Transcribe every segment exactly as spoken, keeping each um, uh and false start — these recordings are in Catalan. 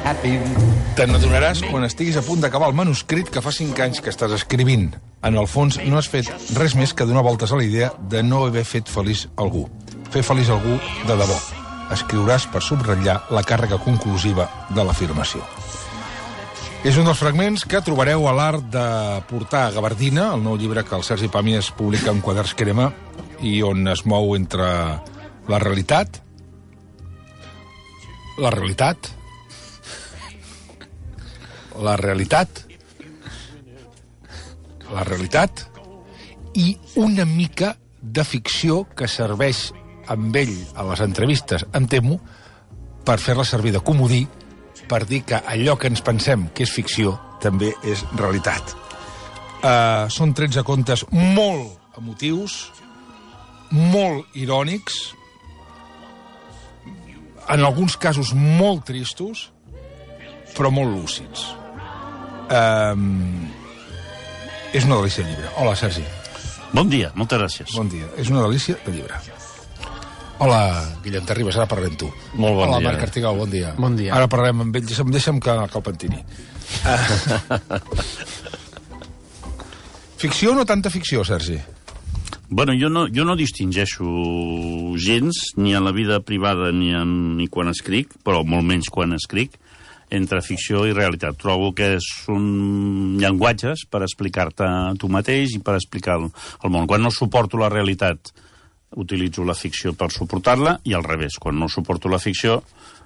Te n'adonaràs quan estiguis a punt d'acabar el manuscrit que fa cinc anys que estàs escrivint. En el fons, no has fet res més que donar voltes a la idea de no haver fet feliç algú. Fer feliç algú de debò. Escriuràs per subratllar la càrrega conclusiva de l'afirmació. És un dels fragments que trobareu a l'art de portar a gabardina, el nou llibre que el Sergi Pàmies publica en Quaderns Crema i on es mou entre la realitat, la realitat, la realitat, la realitat i una mica de ficció que serveix amb ell a les entrevistes, em temo, per fer-la servir de comodí, per dir que allò que ens pensem que és ficció també és realitat. Uh, són tretze contes molt emotius, molt irònics, en alguns casos molt tristos, però molt lúcids. Um, és una delícia de llibre. Hola, Sergi. Bon dia, moltes gràcies. Bon dia. És una delícia de llibre. Hola, Guillem Terribas, ara parlem tu. Molt bon Hola, dia. Marc Artigau, bon dia. Bon dia. Ara parlem amb ell, deixa'm, deixa'm que, que el pentini. Uh, ficció o no tanta ficció, Sergi? Bueno, jo no, jo no distingeixo gens, ni en la vida privada ni, en, ni quan escric, però molt menys quan escric, entre ficció i realitat. Trobo que són llenguatges per explicar-te tu mateix i per explicar el, el món. Quan no suporto la realitat, utilitzo la ficció per suportar-la, i al revés, quan no suporto la ficció,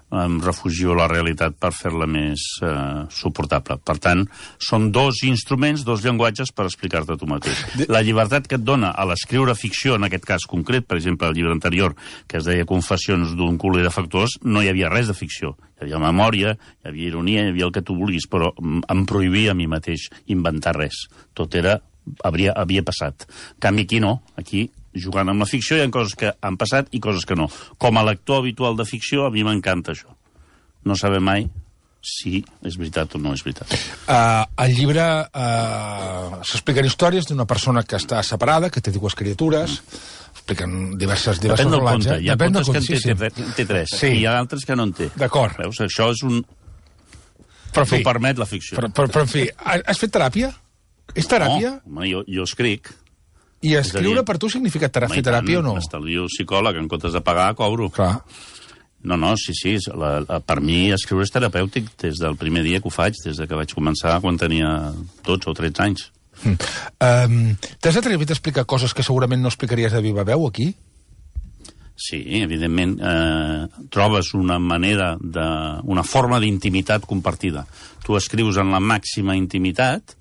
em refugio a la realitat per fer-la més eh, suportable. Per tant, són dos instruments, dos llenguatges per explicar-te tu mateix. La llibertat que et dona a l'escriure ficció, en aquest cas concret, per exemple, el llibre anterior, que es deia Confessions d'un culer defectuós, no hi havia res de ficció. Hi havia memòria, hi havia ironia, hi havia el que tu vulguis, però em prohibia a mi mateix inventar res. Tot era, havia, havia passat. En canvi, aquí no. Aquí, jugant amb la ficció, hi ha coses que han passat i coses que no. Com a lector habitual de ficció, a mi m'encanta això. No saber mai si és veritat o no és veritat. Uh, al llibre uh, s'expliquen històries d'una persona que està separada, que té dues criatures, expliquen diverses, diverses Depèn del relats. conte. Hi ha Depèn contes que del en té, conte, té, té tres, Sí. i hi ha altres que no en té. D'acord. Veus? Això és un... Però, en fi, T'ho permet la ficció. però, però, però, en fi, has fet teràpia? És teràpia? No, home, jo, jo escric. I escriure dir, per tu significa ter Home, fer teràpia o no? M'estalvio psicòleg, en comptes de pagar, cobro. Clar. No, no, sí, sí. La, la, per mi escriure és terapèutic des del primer dia que ho faig, des de que vaig començar quan tenia dotze o tretze anys. Mm. Um, T'has atrevit a explicar coses que segurament no explicaries de viva veu aquí? Sí, evidentment. Eh, trobes una manera, de, una forma d'intimitat compartida. Tu escrius en la màxima intimitat,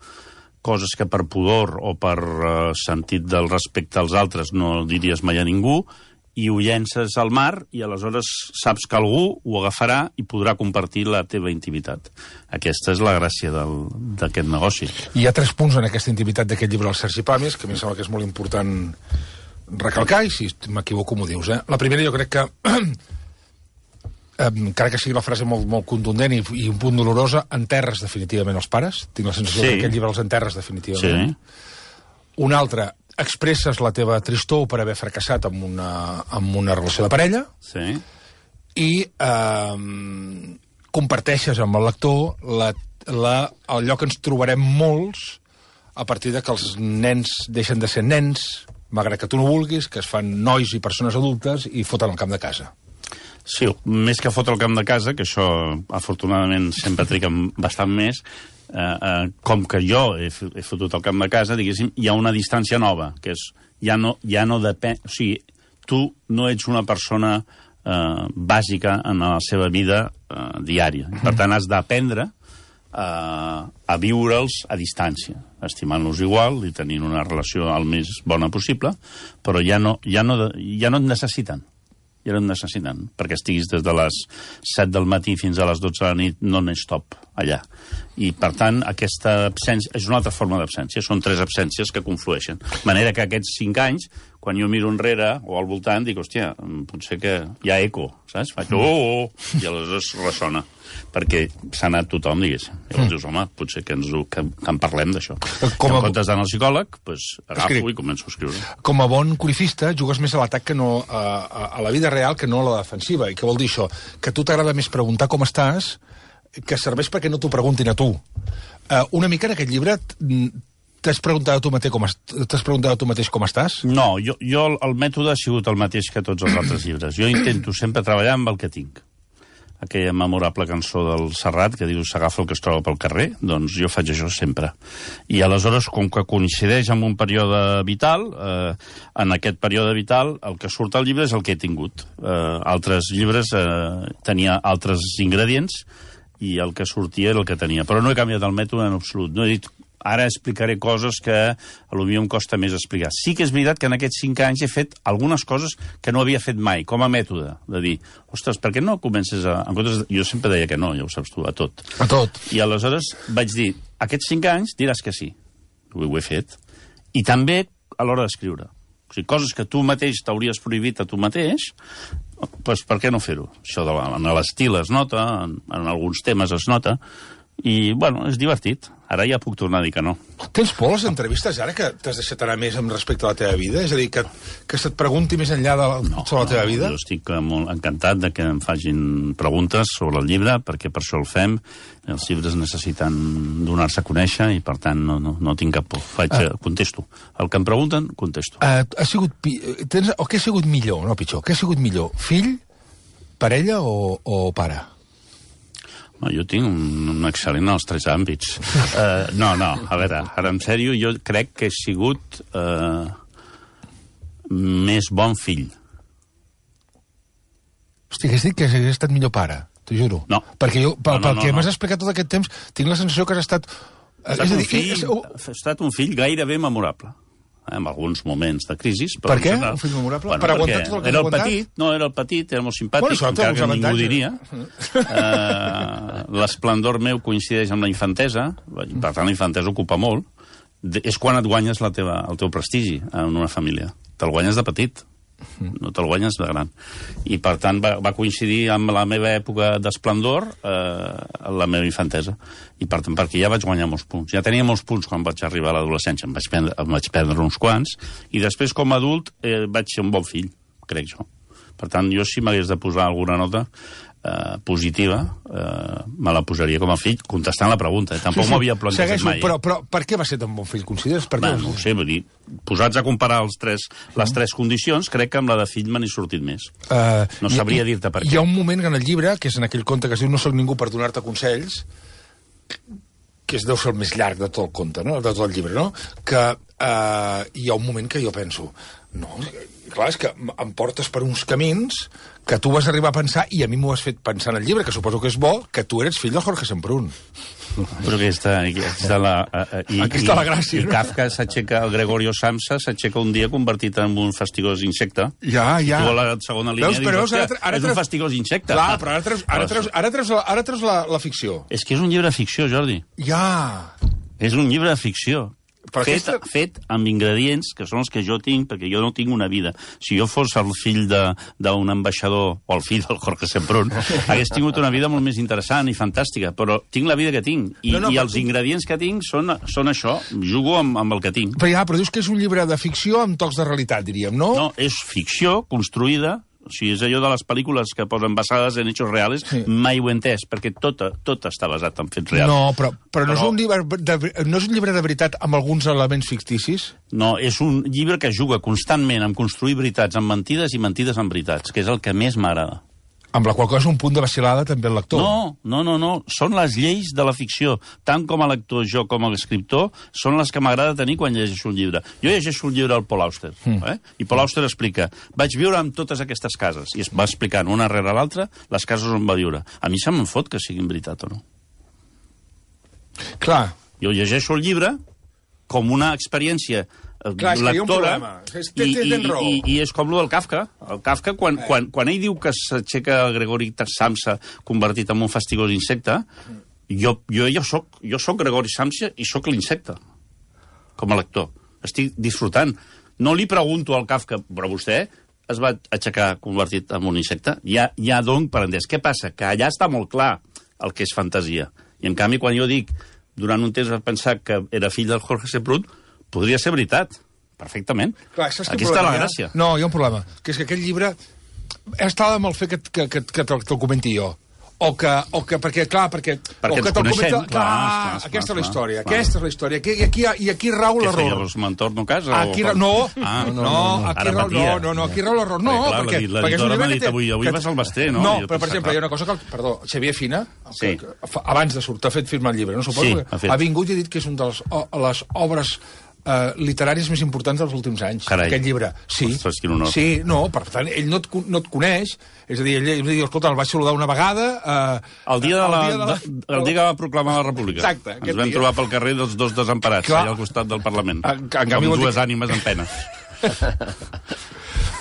coses que per pudor o per uh, sentit del respecte als altres no diries mai a ningú, i ho llences al mar i aleshores saps que algú ho agafarà i podrà compartir la teva intimitat. Aquesta és la gràcia d'aquest negoci. Hi ha tres punts en aquesta intimitat d'aquest llibre del Sergi Pàmies, que a mi em sembla que és molt important recalcar, i si m'equivoco m'ho dius. Eh? La primera, jo crec que encara que sigui la frase molt, molt contundent i, i un punt dolorosa, enterres definitivament els pares. Tinc la sensació Sí. que aquest llibre els enterres definitivament. Sí. Un altre, expresses la teva tristor per haver fracassat amb una, amb una relació de parella, Sí. i eh, comparteixes amb el lector la, la, allò que ens trobarem molts a partir de que els nens deixen de ser nens, malgrat que tu no vulguis, que es fan nois i persones adultes i foten al camp de casa. Sí, més que fotre el camp de casa, que això afortunadament sempre triga bastant més, eh, eh, com que jo he, he fotut el camp de casa, diguéssim, hi ha una distància nova, que és, ja no, ja no depèn... O sigui, tu no ets una persona eh, bàsica en la seva vida eh, diària. Per tant, has d'aprendre eh, a viure'ls a distància, estimant-los igual i tenint una relació el més bona possible, però ja no, ja no, ja no et necessiten. Ja no et necessiten, perquè estiguis des de les set del matí fins a les dotze de la nit non-stop allà. I, per tant, aquesta absència és una altra forma d'absència. Són tres absències que conflueixen. De manera que aquests cinc anys, quan jo miro enrere o al voltant, dic, hòstia, potser que hi ha eco, saps? Faig, oh, oh, oh, i aleshores ressona. Perquè s'ha anat tothom, diguéssim. Llavors dius, home, potser que, ens ho, que, que en parlem d'això. Com a... En comptes d'anar al psicòleg, doncs agafo Escric. i començo a escriure. Com a bon corifista, jugues més a l'atac que no a, a, a la vida real que no a la defensiva. I què vol dir això? Que a tu t'agrada més preguntar com estàs que serveix perquè no t'ho preguntin a tu. Uh, una mica en aquest llibre t'has preguntat a tu mateix com, t'has preguntat a tu mateix com estàs? No, jo, jo el mètode ha sigut el mateix que tots els altres llibres. Jo intento sempre treballar amb el que tinc. Aquella memorable cançó del Serrat que diu s'agafa el que es troba pel carrer, doncs jo faig això sempre. I aleshores, com que coincideix amb un període vital, eh, en aquest període vital el que surt al llibre és el que he tingut. Eh, altres llibres eh, tenia altres ingredients i el que sortia era el que tenia. Però no he canviat el mètode en absolut. No he dit ara explicaré coses que potser em costa més explicar. Sí que és veritat que en aquests cinc anys he fet algunes coses que no havia fet mai, com a mètode, de dir, ostres, per què no comences a... En comptes de... Jo sempre deia que no, ja ho saps tu, a tot. A tot. I aleshores vaig dir, aquests cinc anys diràs que sí. Ho he fet. I també a l'hora d'escriure. O sigui, coses que tu mateix t'hauries prohibit a tu mateix, doncs per què no fer-ho? Això de la, en l'estil es nota, en, en alguns temes es nota, i, bueno, és divertit. Ara ja puc tornar a dir que no. Tens por a les entrevistes ara que t'has deixat anar més amb respecte a la teva vida? És a dir, que, que se't pregunti més enllà de la, no, sobre la teva vida? Jo estic molt encantat de que em facin preguntes sobre el llibre, perquè per això el fem. Els llibres necessiten donar-se a conèixer i, per tant, no, no, no tinc cap por. Faig, ah. Contesto. El que em pregunten, contesto. Uh, ha sigut... Tens, o què ha sigut millor, no pitjor? Què ha sigut millor? Fill, parella o, o pare? No, jo tinc un, un excel·lent als tres àmbits. Uh, no, no, a veure, ara en sèrio, jo crec que he sigut uh, més bon fill. Hosti, que has dit que has estat millor pare, t'ho juro. No. Perquè jo, pel, no, no, pel no, que no. m'has explicat tot aquest temps, tinc la sensació que has estat... Ha estat, és un, dir, fill, és... ha estat un fill gairebé memorable. En alguns moments de crisi. Per què? General... Un fill memorable? Bueno, per aguantar tot el que era has el aguantat? Petit, no, era el petit, era molt simpàtic, bueno, encara que ningú diria. Uh, l'esplendor meu coincideix amb la infantesa, per tant la infantesa ocupa molt. De, és quan et guanyes la teva, el teu prestigi en una família. Te'l guanyes de petit, no te'l guanyes de gran. I per tant va, va coincidir amb la meva època d'esplendor, eh, la meva infantesa. I per tant, perquè ja vaig guanyar molts punts. Ja tenia molts punts quan vaig arribar a l'adolescència, em vaig perdre, em vaig perdre uns quants, i després com a adult eh, vaig ser un bon fill, crec jo. Per tant, jo si m'hagués de posar alguna nota eh, positiva, eh, me la posaria com a fill, contestant la pregunta. Eh? Tampoc sí, sí. m'havia plantejat Segueixo, mai. Però, però per què va ser tan bon fill, consideres? Per Va, no ho sé, vull dir, posats a comparar els tres, les tres condicions, crec que amb la de fill me n'he sortit més. Uh, no sabria dir-te per què. Hi ha un moment en el llibre, que és en aquell conte que es diu No soc ningú per donar-te consells, que és deu ser el més llarg de tot el conte, no? de tot el llibre, no? Que uh, hi ha un moment que jo penso, no, clar, és que em portes per uns camins que tu vas arribar a pensar, i a mi m'ho has fet pensar en el llibre, que suposo que és bo, que tu eres fill de Jorge Semprún. Però aquí està, aquí està la... Uh, i, aquí està la gràcia, i, no? I Kafka s'aixeca, el Gregorio Samsa s'aixeca un dia convertit en un fastigós insecte. Ja, ja. I tu a la segona línia veus, però, dius, ara, ara, ara és un fastigós insecte. Clar, però ara treus, ara treus, ara treus, la, ara treus la, la ficció. És que és un llibre de ficció, Jordi. Ja. És un llibre de ficció. Fet, aquesta... fet amb ingredients que són els que jo tinc, perquè jo no tinc una vida. Si jo fos el fill d'un ambaixador, o el fill del Jorge Semprún, hagués tingut una vida molt més interessant i fantàstica, però tinc la vida que tinc, i, no, no, i els tu... ingredients que tinc són, són això, jugo amb, amb el que tinc. Però ja, però dius que és un llibre de ficció amb tocs de realitat, diríem, no? No, és ficció construïda. O sigui, és allò de les pel·lícules que posen basades en hechos reales, sí. Mai ho he entès, perquè tot, tot està basat en fets reals. No, però, però, però... No, és un llibre de, no és un llibre de veritat amb alguns elements ficticis? No, és un llibre que juga constantment amb construir veritats amb mentides i mentides amb veritats, que és el que més m'agrada. Amb la qual cosa és un punt de vacil·lada també el lector. No, no, no, no. Són les lleis de la ficció. Tant com a lector, jo com a escriptor, són les que m'agrada tenir quan llegeixo un llibre. Jo llegeixo un llibre al Paul Auster, mm. eh? I Paul Auster explica, vaig viure en totes aquestes cases, i es va explicant una rere l'altra les cases on va viure. A mi se me'n fot que siguin veritat o no. Clar. Jo llegeixo el llibre com una experiència clar, lectora, és, i, i, i, i és com el del Kafka. El Kafka, quan, eh. quan, quan ell diu que s'aixeca el Gregori Samsa convertit en un fastigós insecte, jo, jo, jo, soc, jo soc Gregori Samsa i soc l'insecte, com a lector. Estic disfrutant. No li pregunto al Kafka, però vostè es va aixecar convertit en un insecte? Ja, ja dono per entès. Què passa? Que allà està molt clar el que és fantasia. I, en canvi, quan jo dic, durant un temps vaig pensar que era fill del Jorge Semprún, podria ser veritat, perfectament. Clar, aquí està la gràcia. No, hi ha un problema, que és que aquest llibre està amb el fet que, que, que, que te'l comenti jo. O que, o que, perquè, clar, perquè... Perquè o que ens coneixem, comenta, clar, clar, clar, aquesta clar, és la història, clar. aquesta és la història. Aquí, i, aquí, I aquí rau Què l'error. feia, los mentors no casa? Aquí, o... no, ah, no, no, no, aquí ara rau, patia. no, no, no, aquí rau l'error. No, perquè, clar, perquè... la- perquè és un l'editora llibre m'ha que dit té- avui, avui que- vas al Basté, no? No, I jo però, per pensava, exemple, hi ha una cosa que... El, perdó, Xavier Fina, Sí. que, fa- abans de sortir, ha fet firmar el llibre, no suposo? Sí, que ha fet. ha vingut i ha dit que és una de les, o, les obres eh, literàries més importants dels últims anys. Carai. Aquest llibre. Sí. Ostres, quin honor. Sí, no, per tant, ell no et, con- no et coneix, és a dir, ell, ell diu, escolta, el vaig saludar una vegada... Eh, El dia, de la, el dia, de la, de, el dia que va proclamar la República. Exacte, Ens aquest vam dia. trobar pel carrer dels dos desemparats, Clar. allà al costat del Parlament. En- en canvi Com vol dir dues que- ànimes en pena.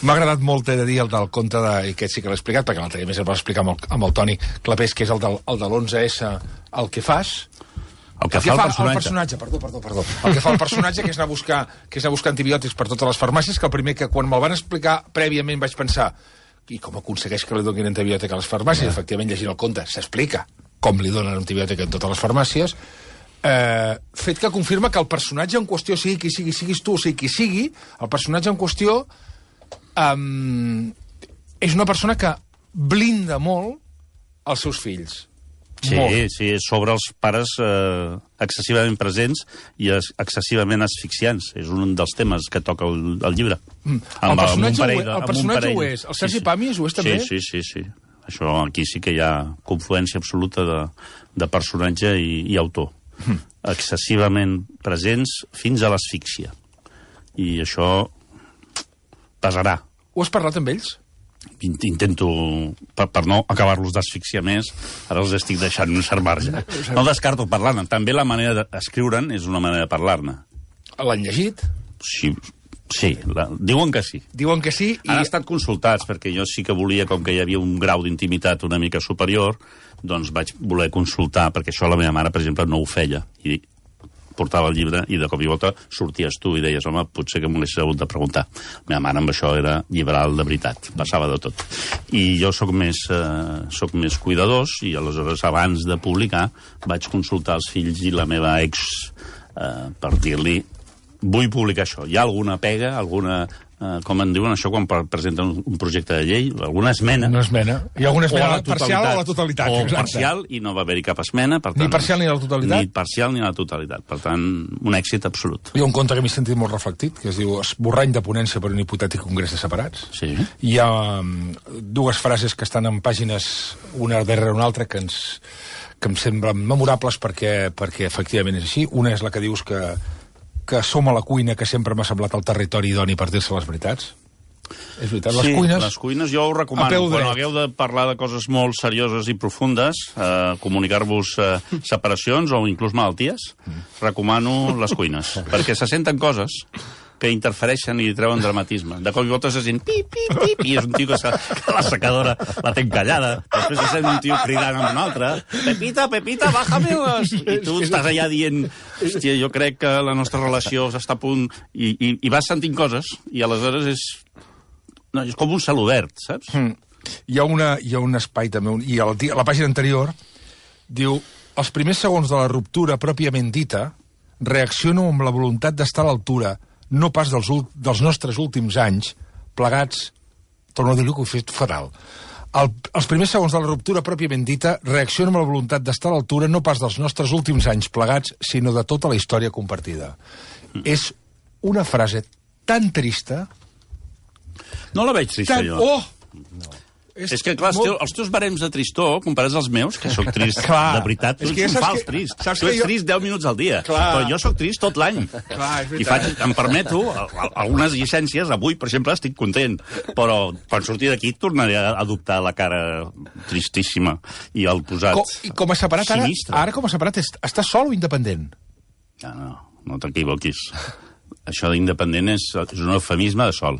M'ha agradat molt, he de dir, el del conte de... I aquest sí que l'he explicat, perquè l'altre dia més el va explicar amb el, amb el Toni Clapés, que és el del, el de l'onze essa, el que fas... El que fa el personatge. El personatge, perdó, perdó, perdó. El que fa el personatge, que és anar a buscar, que és anar a buscar antibiòtics per totes les farmàcies, que el primer que quan me'l van explicar prèviament vaig pensar i com aconsegueix que li donin antibiòtic a les farmàcies? Yeah. Efectivament, llegint el conte, s'explica com li donen antibiòtic en totes les farmàcies. Eh, fet que confirma que el personatge en qüestió, sigui qui sigui, siguis tu o sigui qui sigui, el personatge en qüestió um, és una persona que blinda molt els seus fills. Sí, Molt. sí, és sobre els pares eh, excessivament presents i es, excessivament asfixiants. És un dels temes que toca el, el llibre. Mm. Amb, El personatge, amb un parell ho, de- el amb un personatge parell. ho és. El Sergi sí, sí. Pàmies ho és també? Sí, sí, sí, sí. Això aquí sí que hi ha confluència absoluta de, de personatge i, i autor. Mm. Excessivament presents fins a l'asfíxia. I això pesarà. Ho has parlat amb ells? Intento, per, per no acabar-los d'asfixiar més, ara els estic deixant un cert marge. No descarto parlar-ne. També la manera d'escriure'n és una manera de parlar-ne. L'han llegit? Sí, sí la, diuen que sí. Diuen que sí. I... Han estat consultats, perquè jo sí que volia, com que hi havia un grau d'intimitat una mica superior, doncs vaig voler consultar, perquè això la meva mare, per exemple, no ho feia. I portava el llibre i de cop i volta sorties tu i deies, home, potser que m'ho haguessis hagut de preguntar. La meva mare amb això era liberal de veritat, passava de tot. I jo sóc més, eh, sóc més cuidadós i aleshores abans de publicar vaig consultar els fills i la meva ex eh, per dir-li vull publicar això. Hi ha alguna pega, alguna... Uh, com en diuen això quan presenten un, un projecte de llei, alguna esmena. Una esmena. Hi ha alguna esmena o a la parcial o a la totalitat. O exacte. parcial, i no va haver-hi cap esmena. Per tant, Ni parcial ni a la totalitat? Ni parcial ni a la totalitat. Per tant, un èxit absolut. Hi ha un conte que m'he sentit molt reflectit, que es diu Esborrany de ponència per un hipotètic congrés de separats. Sí. Hi ha um, dues frases que estan en pàgines una darrere una altra que ens que em semblen memorables perquè, perquè efectivament és així. Una és la que dius que que som a la cuina, que sempre m'ha semblat el territori idoni per dir-se les veritats. És veritat, les sí, cuines... les cuines jo ho a recomano. peu Quan dret. hagueu de parlar de coses molt serioses i profundes, eh, comunicar-vos eh, separacions o inclús malalties, recomano les cuines. Perquè se senten coses que interfereixen i treuen dramatisme. De cop i volta se sent pip, pip, pip, i és un tio que, se, que la secadora la té encallada. Després se sent un tio cridant amb un altre. Pepita, Pepita, bájame les... I tu estàs allà dient, hòstia, jo crec que la nostra relació està a punt... I, i, i vas sentint coses, i aleshores és... No, és com un cel obert, saps? Mm. Hi ha, una, hi ha un espai també, un, i a la, a la pàgina anterior diu, els primers segons de la ruptura pròpiament dita reacciono amb la voluntat d'estar a l'altura, no pas dels, dels nostres últims anys, plegats, torno a dir-ho que ho he fet fatal. El, els primers segons de la ruptura pròpiament dita reacciono amb la voluntat d'estar a l'altura no pas dels nostres últims anys plegats, sinó de tota la història compartida. Mm. És una frase tan trista... No la veig trista, tan... jo. Oh! No. És, és que, clar, molt... els teus barems de tristor, comparats als meus, que sóc trist clar, de veritat, tu ets un fals que... trist. Saps tu ets jo... trist deu minuts al dia, clar. Però jo sóc trist tot l'any. I faig, em permeto algunes llicències, avui, per exemple, estic content, però quan surti d'aquí tornaré a adoptar la cara tristíssima i el posat com, I com a separat, ara, ara com a separat, estàs sol o independent? No, no, no t'equivoquis. Això d'independent és, és un eufemisme de sol.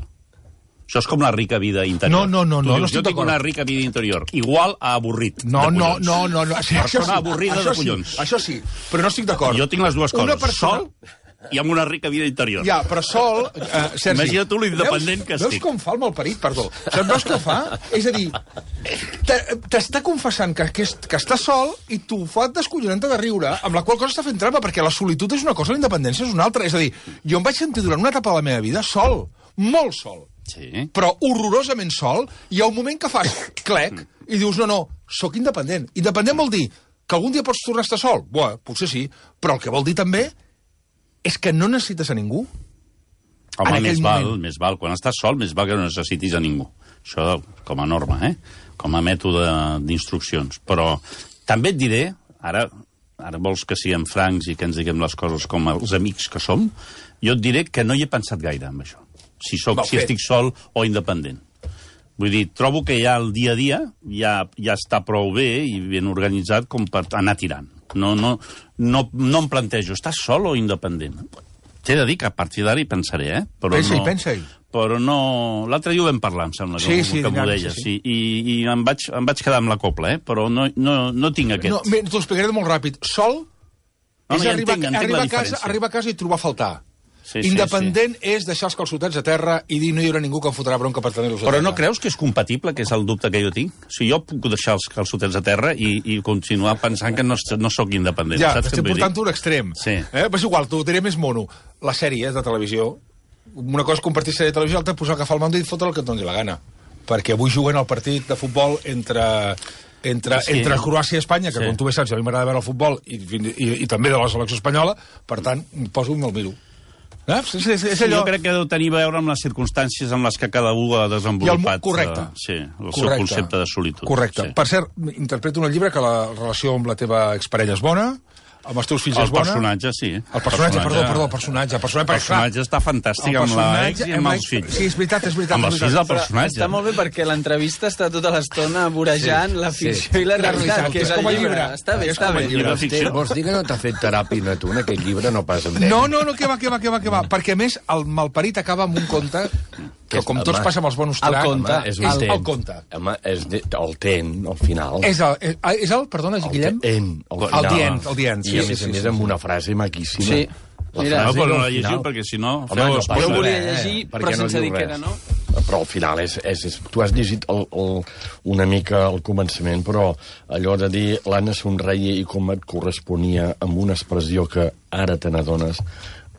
Això és com la rica vida interior. No, no, no, no, dius, no estic jo tinc una rica vida interior, igual a avorrit. No, no, no, no, no. Sí, persona sí, avorrida de collons. Sí, això sí, però no estic d'acord. Jo tinc les dues coses, una persona... sol i amb una rica vida interior. Ja, però sol... Eh, Sergi, imagina't tu l'independent que estic. Veus com fa el malparit, perdó? Saps, veus què fa? És a dir, t'està confessant que, que, que està sol i tu fa descollonant-te de riure, amb la qual cosa està fent trampa, perquè la solitud és una cosa, la independència és una altra. És a dir, jo em vaig sentir durant una etapa de la meva vida sol, molt sol. Sí. Però horrorosament sol, hi ha un moment que fas clec, i dius, no, no, sóc independent. Independent vol dir que algun dia pots tornar a estar sol? Bé, potser sí, però el que vol dir també és que no necessites a ningú. Home, més val, més val. Quan estàs sol, més val que no necessitis a ningú. Això com a norma, eh? Com a mètode d'instruccions. Però també et diré, ara, ara vols que siguem francs i que ens diguem les coses com els amics que som, jo et diré que no hi he pensat gaire amb això. Si, soc, si estic sol o independent. Vull dir, trobo que ja el dia a dia ja, ja està prou bé i ben organitzat com per anar tirant. No, no, no, no em plantejo, estàs sol o independent? T'he de dir que a partir d'ara hi pensaré, eh? Però pensa-hi, no, pensa-hi. Però no... L'altre dia ho vam parlar, em sembla, sí, que, sí, que m'ho deies. Sí, sí. I, i em, vaig, em vaig quedar amb la copla, eh? Però no, no, no tinc aquest... No, bé, t'ho explicaré molt ràpid. Sol no, no, és ja arribar, entenc, entenc arribar, la a casa, arribar a casa i trobar a faltar. Sí, Independent sí, sí. és deixar els calçotets a terra i dir no hi haurà ningú que em fotrà bronca per tenir-los a Però terra. no creus que és compatible, que és el dubte que jo tinc? O sigui, jo puc deixar els calçotets a terra i, i continuar pensant que no, no sóc independent. Ja, saps t'estic portant un extrem. Sí. Eh? Però és igual, t'ho diré més mono. Les sèries de televisió, una cosa és compartir sèrie de televisió, l'altra és posar agafar el mando i fotre el que et doni la gana. Perquè avui juguen el partit de futbol entre... entre, sí. entre Croàcia i Espanya, que sí. Com tu bé saps, a mi m'agrada veure el futbol i, i, i també de la selecció espanyola, per tant, poso i me'l miro. Eh? És, és, és allò... Jo crec que deu tenir a veure amb les circumstàncies en les que cada un ha desenvolupat. El, correcte. Uh, sí, el correcte. seu concepte de solitud. Correcte. Sí. Per cert, interpreto en el llibre que la relació amb la teva exparella és bona, amb els teus fills el és bona. El personatge, sí. El personatge, perdó, perdó, el personatge. El personatge, el personatge està fantàstic amb l'ex i amb els fills. Sí, és veritat, és veritat. Amb els fills del personatge. Està molt bé perquè l'entrevista està tota l'estona vorejant sí, la ficció sí. i la realitat, que és el llibre. llibre. Està bé, està bé. Llibre. Vols dir que no t'ha fet teràpia tu en aquest llibre? No pas amb ell. No, no, no, que va, que va, que va, que va. Perquè, a més, el malparit acaba amb un conte que, com tots passa amb els bonus track... El conte. És el, el conte. Home, és de, el ten, al final. És el, és el perdona, Guillem? El ten, al final. El dient, el dient. I a més a més amb una frase maquíssima. Sí. La Mira, no, però no la llegiu perquè si no... Home, no jo ho volia llegir, eh, però sense dir que era, no? Però al final és... és, és tu has llegit el, el, una mica al començament, però allò de dir l'Anna somreia i com et corresponia amb una expressió que ara te n'adones,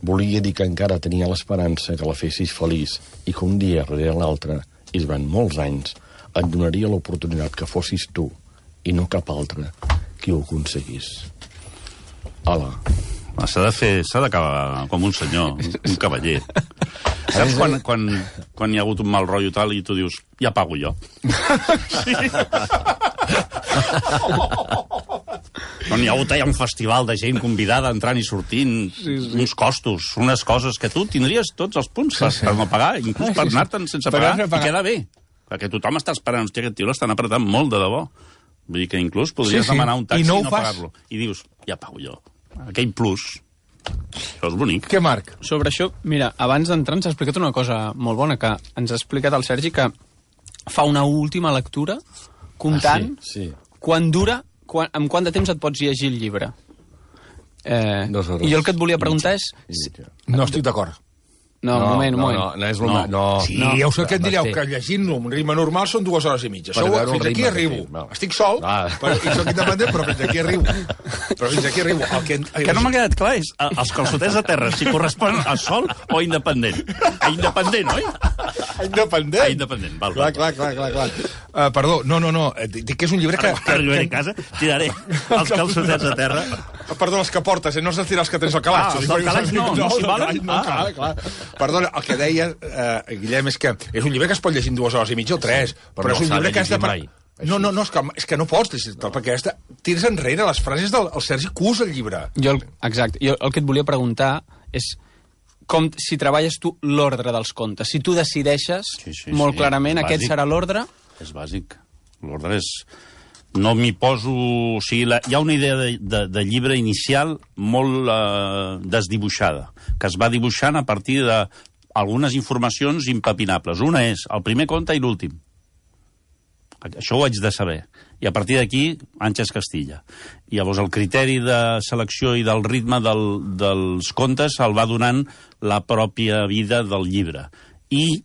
volia dir que encara tenia l'esperança que la fessis feliç i que un dia darrere l'altre, i es van molts anys, et donaria l'oportunitat que fossis tu i no cap altre qui ho aconseguís. Hola. S'ha de fer, s'ha d'acabar com un senyor, un cavaller. Saps quan, quan, quan hi ha hagut un mal rotllo tal i tu dius, ja pago jo. Sí. No n'hi ha hagut allà un festival de gent convidada entrant i sortint, sí, sí. uns costos, unes coses que tu tindries tots els punts per, sí, sí. per no pagar, inclús per anar-te'n sense pagar, pagar, i queda bé. Perquè tothom està esperant, hòstia, aquest tio l'estan apretant molt de debò. Vull dir que inclús podries sí, sí. demanar un taxi i no, i no pagar-lo. I dius, ja pago jo. Aquell plus. Això és bonic. Què, Marc? Sobre això, mira, abans d'entrar ens ha explicat una cosa molt bona, que ens ha explicat el Sergi que fa una última lectura comptant ah, sí, sí. quan dura, quan, amb quant de temps et pots llegir el llibre. Eh, Dos hores. I jo el que et volia preguntar és... No estic d'acord. No, un moment, un moment. No, no, no és el... No. No. Sí, no. Ja ho sé que em direu, que llegint-lo amb ritme normal són dues hores i mitja. Això, fins aquí arribo. No. Estic sol, ah. però, i soc independent, però fins aquí arribo. Però fins aquí arribo. El que, que no m'ha quedat clar és els calçotets a terra, si corresponen a sol o independent. A independent, oi? A independent? A independent, val. Clar, clar, clar, clar. clar. Uh, perdó, no, no, no. Dic que és un llibre que... que arribaré a casa, tiraré els calçotets a terra. Perdó, els que portes, eh? No has de tirar els que tens al calaix. Ah, els del calaix no, no s'hi valen? No, clar, clar. Perdona, el que deia, eh, Guillem, és que és un llibre que es pot llegir en dues hores i mitja o tres, sí, però, però no és un llibre que has de... Mai. No, no, no, és que, és que no pots llegir-te'l, perquè has de... tires enrere les frases del el Sergi Cus, el llibre. Jo, exacte. Jo el que et volia preguntar és com si treballes tu l'ordre dels contes. Si tu decideixes sí, sí, molt sí, clarament aquest serà l'ordre... És bàsic. L'ordre és... No m'hi poso... O sigui, la, hi ha una idea de, de, de llibre inicial molt eh, desdibuixada, que es va dibuixant a partir d'algunes informacions impepinables. Una és el primer conte i l'últim. Això ho haig de saber. I a partir d'aquí, Àngels Castilla. I llavors el criteri de selecció i del ritme del, dels contes el va donant la pròpia vida del llibre. I,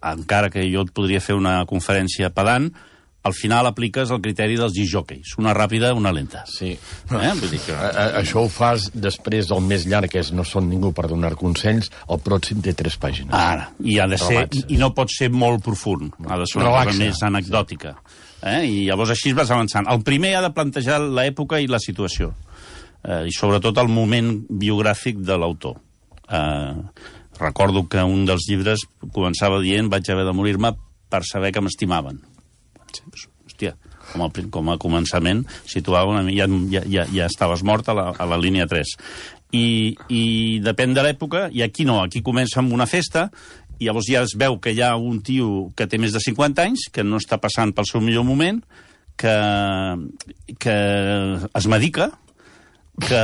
encara que jo et podria fer una conferència pedant, al final apliques el criteri dels disjòqueis, una ràpida, una lenta. Sí. Eh? Vull dir que... A, a, això ho fas després del més llarg, que és No són ningú per donar consells, el pròxim té tres pàgines. Ara, i ha de ser, i, i no pot ser molt profund, ha de ser una Relaxa. cosa més anecdòtica. Eh? I llavors així vas avançant. El primer ha de plantejar l'època i la situació, eh, i sobretot el moment biogràfic de l'autor. Eh, recordo que un dels llibres començava dient vaig haver de morir-me per saber que m'estimaven. Hòstia, com a, com a començament situava una mica, ja, ja, ja estaves mort a la, a la línia tres. I, i depèn de l'època, i aquí no, aquí comença amb una festa, i llavors ja es veu que hi ha un tio que té més de cinquanta anys, que no està passant pel seu millor moment, que, que es medica, que,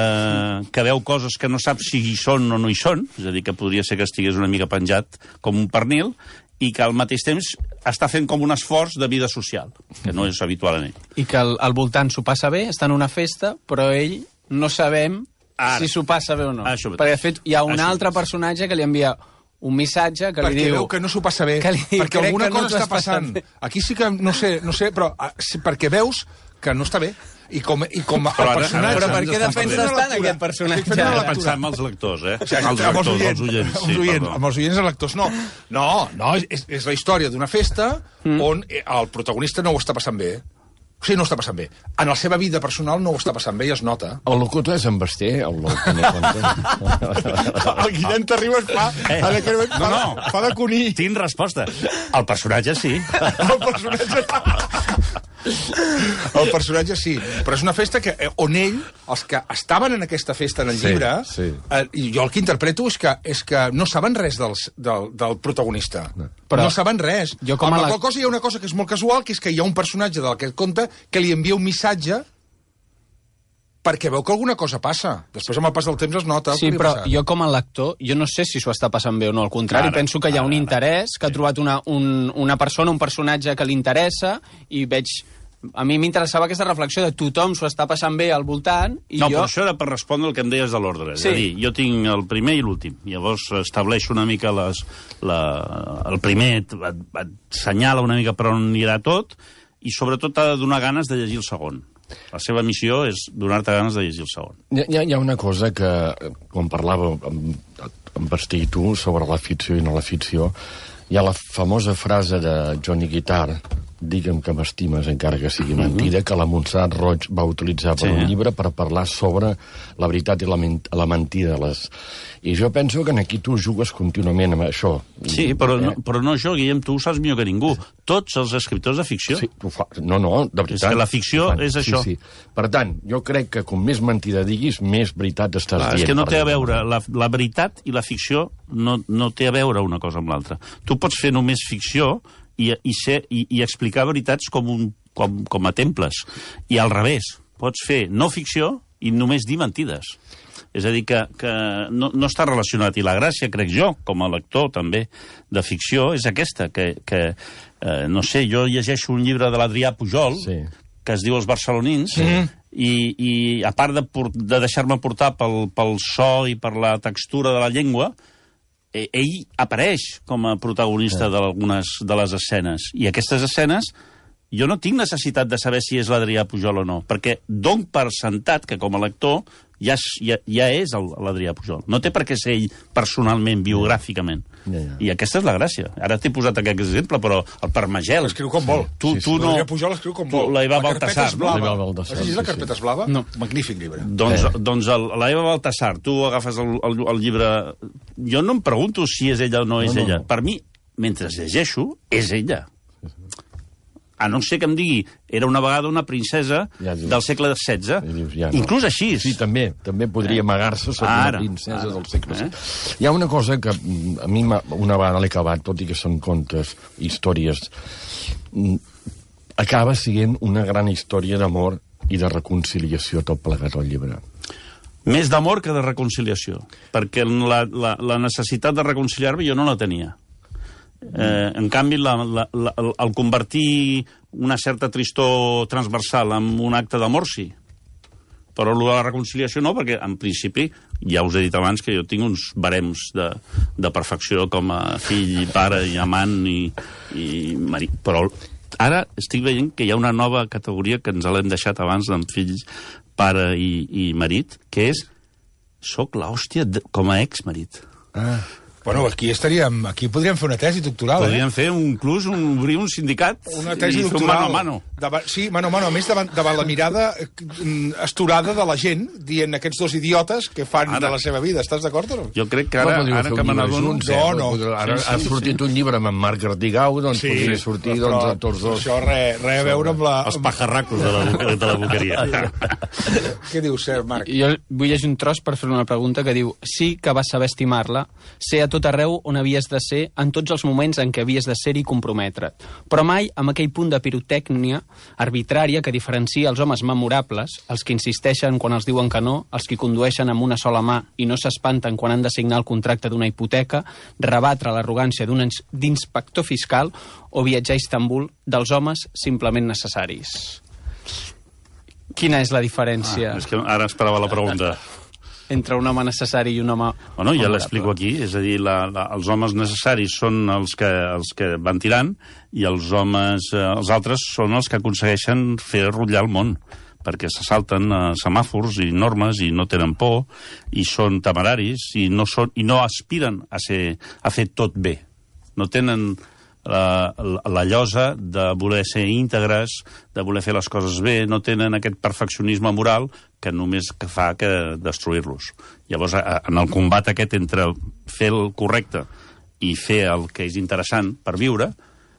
que veu coses que no sap si hi són o no hi són, és a dir, que podria ser que estigués una mica penjat com un pernil, i que al mateix temps està fent com un esforç de vida social, que no és habitual en ell. I que al, al voltant s'ho passa bé, està en una festa, però ell no sabem Ara. si s'ho passa bé o no. Això Perquè, de fet, hi ha un Això altre personatge que li envia un missatge que li perquè diu... veu que no s'ho passa bé, que li diu, perquè crec alguna que no cosa t'ho està has passat passant. bé. Aquí sí que, no sé, no sé, però ah, sí, perquè veus que no està bé. I com, i com el Però ara- personatge... Però per què Estem defenses fent una tant lectura. aquest personatge? Estic fent una Ara lectura. pensar amb els lectors, eh? O sigui, els amb els lectors, oients, els oients. amb Sí, els oients, perdó. amb els oients i lectors. No, no, no és, és la història d'una festa mm. on el protagonista no ho està passant bé. O sigui, no ho està passant bé. En la seva vida personal no ho està passant bé i es nota. El locutor és en Basté, el locutor no compta. El Guillem Terribas fa, Eh. en aquell moment, No, fa, no. fa de coní. Tinc resposta. El personatge sí. El personatge... El personatge sí, però és una festa que, eh, on ell, els que estaven en aquesta festa en el Sí, llibre, sí. eh, i jo el que interpreto és que, és que no saben res dels, del, del protagonista. No. Però no saben res. jo com a Amb la la- qual cosa hi ha una cosa que és molt casual, que és que hi ha un personatge del que et conta que li envia un missatge perquè veu que alguna cosa passa. Després, amb el pas del temps, es nota. el Sí, que li ha però passat. jo com a lector, jo no sé si s'ho està passant bé o no. Al contrari, Ara, penso que hi ha un ara, interès, que ha trobat una, un, una persona, un personatge que li interessa, i veig... A mi m'interessava aquesta reflexió de tothom s'ho està passant bé al voltant, i No, jo... però això era per respondre el que em deies de l'ordre. Sí. És a dir, jo tinc el primer i l'últim. Llavors estableixo una mica les, la, el primer, et, et senyala una mica per on anirà tot, i sobretot t'ha de donar ganes de llegir el segon. La seva missió és donar-te ganes de llegir el segon. Hi ha, hi ha una cosa que, quan parlàveu amb, amb Basté i tu sobre la ficció i no la ficció, hi ha la famosa frase de Johnny Guitar, digue'm que m'estimes encara que sigui mentida, que la Montserrat Roig va utilitzar per Sí. un llibre per parlar sobre la veritat i la, men la mentida. Les... I jo penso que aquí tu jugues contínuament amb això. Sí, però, Eh? no, però no jo, Guillem, tu ho saps millor que ningú. Tots els escriptors de ficció... Sí, ho fa... No, no, de veritat. És que la ficció Ho fan. és això. Sí, sí. Per tant, jo crec que com més mentida diguis, més veritat estàs Clar, dient. és que no per té a dir-ho. veure, la, la veritat i la ficció no, no té a veure una cosa amb l'altra. Tu pots fer només ficció i, i, ser, i, i explicar veritats com, un, com, com a temples. I al revés, pots fer no ficció i només dir mentides. És a dir, que, que no, no està relacionat. I la gràcia, crec jo, com a lector també de ficció, és aquesta, que, que eh, no sé, jo llegeixo un llibre de l'Adrià Pujol, Sí. que es diu Els barcelonins, sí. i, i a part de, por- de deixar-me portar pel, pel so i per la textura de la llengua, eh, ell apareix com a protagonista sí. d'algunes de les escenes. I aquestes escenes jo no tinc necessitat de saber si és l'Adrià Pujol o no, perquè dono per sentat que com a lector ja, és, ja, ja és el- l'Adrià Pujol. No té per què ser ell personalment, biogràficament. Ja, ja. I aquesta és la gràcia. Ara t'he posat aquest exemple, però el Parmagel... Escriu com vol. Tu, Sí, sí. tu no... L'Adrià Pujol escriu com tu- vol. La Eva La carpeta Baltasar, és no? blava. La Eva Baltasar, Has llegit la sí, carpeta sí. és blava? No. Magnífic llibre. Doncs, Eh. doncs el, la Eva Baltasar, tu agafes el, el, el llibre... Jo no em pregunto si és ella o no és No, no, ella. no. Per mi, mentre llegeixo, és ella. A no ser que em digui, era una vegada una princesa Ja dius. del segle setze. I dius, ja no. Inclús així. Sí, també. També podria amagar-se sota una Ara, princesa ara. del segle Eh? setze. Hi ha una cosa que mm, a mi m'ha- una vegada l'he acabat, tot i que són contes, històries, mm, acaba sent una gran història d'amor i de reconciliació tot plegat al llibre. Més d'amor que de reconciliació. Perquè la, la, la necessitat de reconciliar-me jo no la tenia. Eh, en canvi, la, la, la, el convertir una certa tristor transversal en un acte d'amor, sí. Però el de la reconciliació no, perquè en principi, ja us he dit abans que jo tinc uns barems de, de perfecció com a fill, i pare i amant i, i marit. Però ara estic veient que hi ha una nova categoria que ens l'hem deixat abans amb fills, pare i, i marit, que és soc l'hòstia com a exmarit. Ah. Bueno, aquí estaríem, aquí podríem fer una tesi doctoral, podríem eh? fer un, inclús un, obrir un sindicat una tesi i fer un doctoral. mano a mano. Davant, sí, mano a mano, a més davant, davant la mirada esturada de la gent, dient aquests dos idiotes que fan ara de la seva vida. Estàs d'acord o no? Jo crec que ara, no, ara que me n'adono... No, no. Ara sí, sí, ha sortit sí. un llibre amb en Marc Artigau, doncs sí, podria sortir però, doncs, a tots dos. Això res re a veure amb la... Els pajarracos de la, de la boqueria. Què dius, Sir Marc? Jo vull llegir un tros per fer una pregunta que diu: sí que vas saber estimar-la, ser a tot arreu on havies de ser en tots els moments en què havies de ser-hi i comprometre't, però mai amb aquell punt de pirotècnia arbitrària que diferencia els homes memorables, els que insisteixen quan els diuen que no, els que condueixen amb una sola mà i no s'espanten quan han de signar el contracte d'una hipoteca, rebatre l'arrogància d'un d'inspector fiscal o viatjar a Istanbul dels homes simplement necessaris. Quina és la diferència? Ah, és que ara esperava la pregunta. Entre un home necessari i un home... Bueno, ja l'explico aquí, és a dir, la, la, els homes necessaris són els que, els que van tirant i els homes, eh, els altres són els que aconsegueixen fer rotllar el món, perquè se salten eh, semàfors i normes i no tenen por i són temeraris i no, són, i no aspiren a, ser, a fer tot bé. No tenen la, la, la llosa de voler ser íntegres, de voler fer les coses bé, no tenen aquest perfeccionisme moral que només que fa que destruir-los. Llavors, en el combat aquest entre fer el correcte i fer el que és interessant per viure,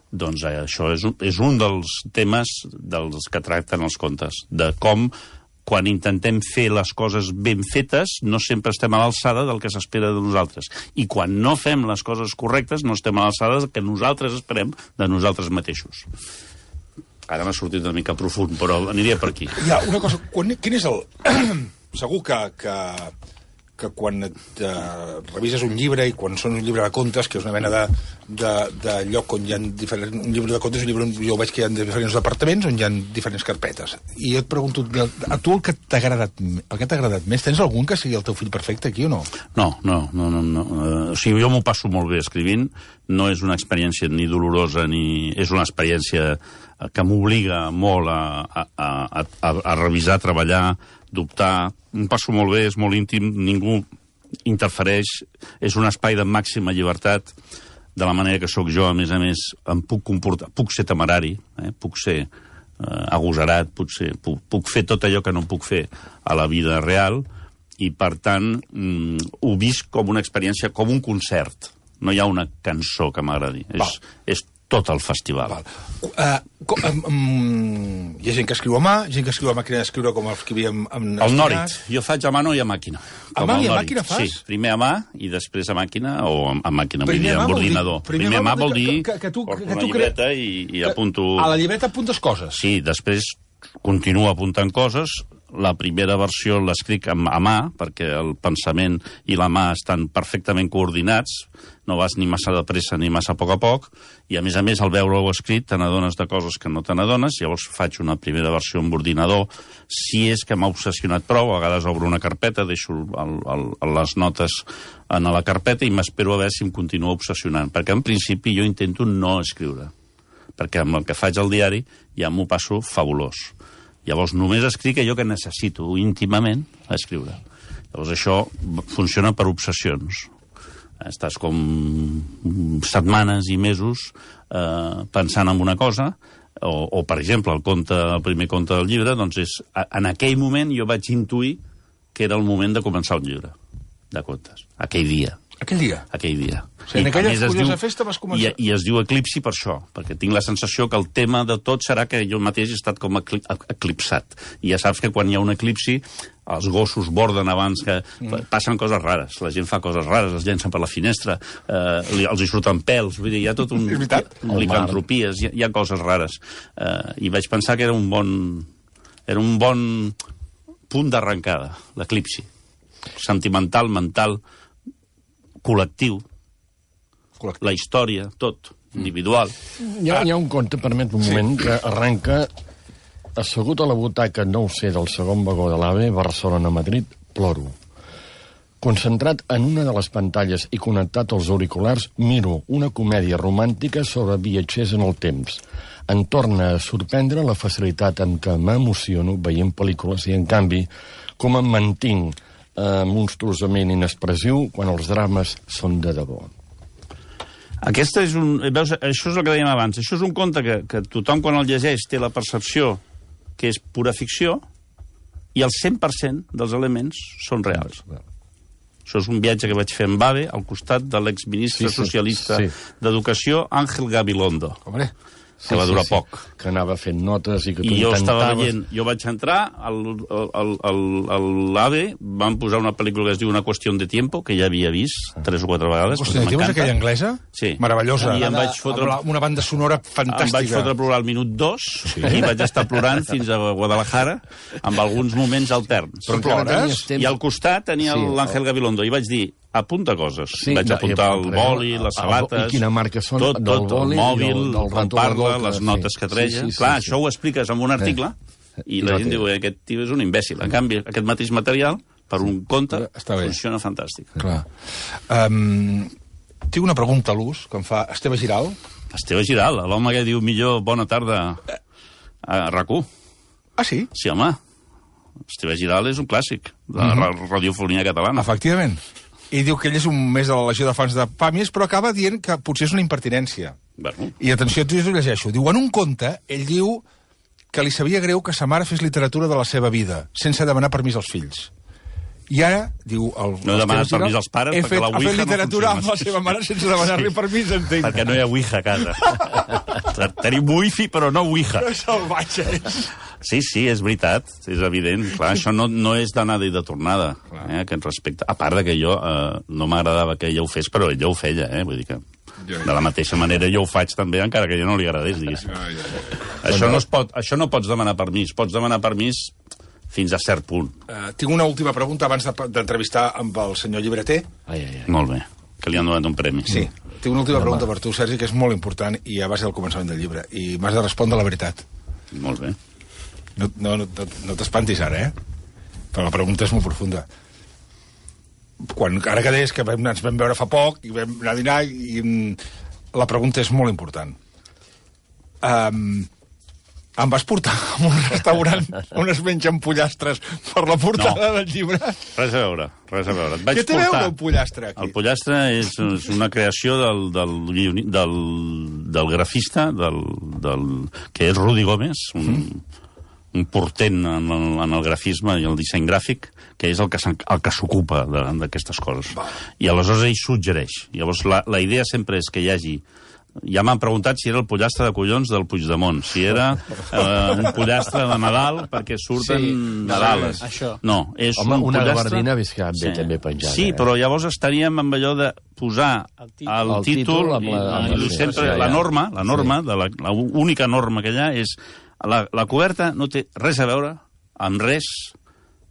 doncs això és un, és un dels temes dels que tracten els contes, de com quan intentem fer les coses ben fetes no sempre estem a l'alçada del que s'espera de nosaltres. I quan no fem les coses correctes no estem a l'alçada del que nosaltres esperem de nosaltres mateixos. Ara m'ha sortit una mica profund, però aniria per aquí. Hi ha una cosa, quan, quin és el... Segur que, que, que quan et, uh, revises un llibre i quan són un llibre de contes, que és una mena de, de, de lloc on hi ha diferents... Un llibre de contes, un llibre, jo veig que hi ha diferents departaments on hi ha diferents carpetes. I jo et pregunto, a tu el que t'ha agradat, el que t'ha agradat més, tens algun que sigui el teu fill perfecte aquí o no? No, no, no, no. no. Uh, o sigui, jo m'ho passo molt bé escrivint, no és una experiència ni dolorosa ni... És una experiència que m'obliga molt a, a, a, a, a revisar, a treballar, dubtar. Em passo molt bé, és molt íntim, ningú interfereix, és un espai de màxima llibertat, de la manera que sóc jo, a més a més, em puc comportar, puc ser temerari, eh? puc ser eh, agosarat, puc, ser, puc, puc fer tot allò que no puc fer a la vida real, i per tant mm, ho visc com una experiència, com un concert. No hi ha una cançó que m'agradi. És, és tot el festival. Val. Uh, com, um, hi ha gent que escriu a mà, gent que escriu a màquina d'escriure com els que havíem... Amb el Nòrit. Jo faig a mano i a màquina. A mà i a màquina fas? Sí, primer a mà i després a màquina, o a màquina, vull dir, amb ordinador. Primer a mà vol dir que, que tu, porto que, que una tu llibreta i, i apunto... A la llibreta apuntes coses? Sí, després continuo apuntant coses. La primera versió l'escric a mà, perquè el pensament i la mà estan perfectament coordinats, no vas ni massa de pressa ni massa a poc a poc, i a més a més al veure-ho escrit te n'adones de coses que no te n'adones, llavors faig una primera versió amb ordinador, si és que m'ha obsessionat prou, a vegades obro una carpeta, deixo el, el, les notes en la carpeta i m'espero a veure si em continua obsessionant, perquè en principi jo intento no escriure, perquè amb el que faig al diari ja m'ho passo fabulós. Llavors només escric allò que necessito íntimament a escriure. Llavors això funciona per obsessions. Estàs com setmanes i mesos eh, pensant en una cosa, o, o per exemple, el, conte, el primer conte del llibre, doncs és, en aquell moment jo vaig intuir que era el moment de començar un llibre de contes, aquell dia. Aquell dia? Aquell dia. O sigui, en aquella curiosa diu, festa vas començar... I, I es diu eclipsi per això, perquè tinc la sensació que el tema de tot serà que jo mateix he estat com eclipsat. I ja saps que quan hi ha un eclipsi, els gossos borden abans que... Mm. Passen coses rares, la gent fa coses rares, es llencen per la finestra, eh, els hi surten pèls, vull dir, hi ha tot un... licantropies, hi, hi ha coses rares. Eh, I vaig pensar que era un bon... Era un bon punt d'arrencada, l'eclipsi. Sentimental, mental... col·lectiu, col·lectiu, la història, tot, individual. Hi ha, hi ha un conte, permet un moment, sí, que arranca assegut a la butaca, no ho sé, del segon vagó de l'AVE, Barcelona-Madrid, ploro. Concentrat en una de les pantalles i connectat als auriculars, miro una comèdia romàntica sobre viatgers en el temps. Em torna a sorprendre la facilitat en què m'emociono veient pel·lícules i, en canvi, com em mantinc eh, monstruosament inexpressiu quan els drames són de debò. Aquesta és un... Veus, això és el que dèiem abans. Això és un conte que, que tothom, quan el llegeix, té la percepció que és pura ficció i el cent per cent dels elements són reals. Això és un viatge que vaig fer amb AVE al costat de l'exministre sí, sí, socialista sí. d'Educació, Ángel Gabilondo. Hombre, que sí, va durar sí, poc. Sí, que anava fent notes i que tu I jo intentaves... estava veient... Jo vaig entrar, a l'AVE van posar una pel·lícula que es diu Una qüestió de tiempo, que ja havia vist tres o quatre vegades. Qüestió de tiempo és aquella anglesa? Sí. Meravellosa. I em vaig fotre... Amb una banda sonora fantàstica. Em vaig fotre a plorar al minut dos sí. i vaig estar plorant fins a Guadalajara amb alguns moments alterns. Però plores? I al costat tenia sí, l'Àngel Gabilondo i vaig dir, apunta coses. Sí, vaig apuntar el boli, les sabates... I quina marca són? Tot, tot, el mòbil, com parla, les notes que treia. Sí, sí, sí, clar, sí. això ho expliques en un article eh. i la gent diu, aquest tio és un imbècil. En canvi, aquest mateix material, per un conte, funciona fantàstic. Clar. Um, tinc una pregunta a l'ús que em fa Esteve Giral. Esteve Giral, l'home que diu millor bona tarda a RAC1. Ah, sí? Sí, home. Esteve Giral és un clàssic de la mm-hmm. radiofonia catalana. Efectivament. I diu que ell és un més de la legió de fans de Pàmies, però acaba dient que potser és una impertinència. Bueno. I atenció, jo ho llegeixo. Diu, en un conte, ell diu que li sabia greu que sa mare fes literatura de la seva vida, sense demanar permís als fills. I ara, diu... El, no demanes permís als pares he perquè fet, la Ouija ha fet literatura no amb la seva mare sense demanar-li sí. permís, entenc. Perquè no hi ha Ouija a casa. Tenim Wi-Fi, però no Ouija. No salvatge és... Sí, sí, és veritat, és evident. Clar, això no, no és d'anada i de tornada, eh, aquest respecte. A part de que jo eh, no m'agradava que ella ho fes, però ella ho feia, eh? Vull dir que de la mateixa manera jo ho faig també, encara que a ella no li agradés, diguéssim. Això no, es pot, això no pots demanar permís, pots demanar permís fins a cert punt. Uh, tinc una última pregunta abans d'entrevistar amb el senyor llibreter. Ai, ai, ai. Molt bé, que li han donat un premi. Sí, tinc una última pregunta per tu, Sergi, que és molt important i a base del començament del llibre, i m'has de respondre la veritat. Molt bé. No, no, no, no t'espantis ara, eh? Però la pregunta és molt profunda. Quan, ara que deies que vam, ens vam veure fa poc i vam anar a dinar i, i la pregunta és molt important. Um, em vas portar a un restaurant on es mengen pollastres per la portada no. del llibre? Res a veure, res a veure. Et vaig Què té a portar... veure el pollastre aquí? El pollastre és, és una creació del, del, del, del grafista, del, del, que és Rudi Gómez, un... Mm. un portent en el, en el grafisme i el disseny gràfic, que és el que, el que s'ocupa d'aquestes coses. Va. I aleshores ell suggereix. Llavors la, la idea sempre és que hi hagi... Ja m'han preguntat si era el pollastre de collons del Puigdemont, si era eh, un pollastre de Nadal perquè surten sí, Nadales. Això. No, és Home, un una pollastre... gabardina visca bé sí. també penjada. Sí, eh? però llavors estaríem amb allò de posar el títol, el el títol, títol amb la, i, amb i sempre la norma, la norma, sí. de la, la única norma que hi ha és la, la coberta no té res a veure amb res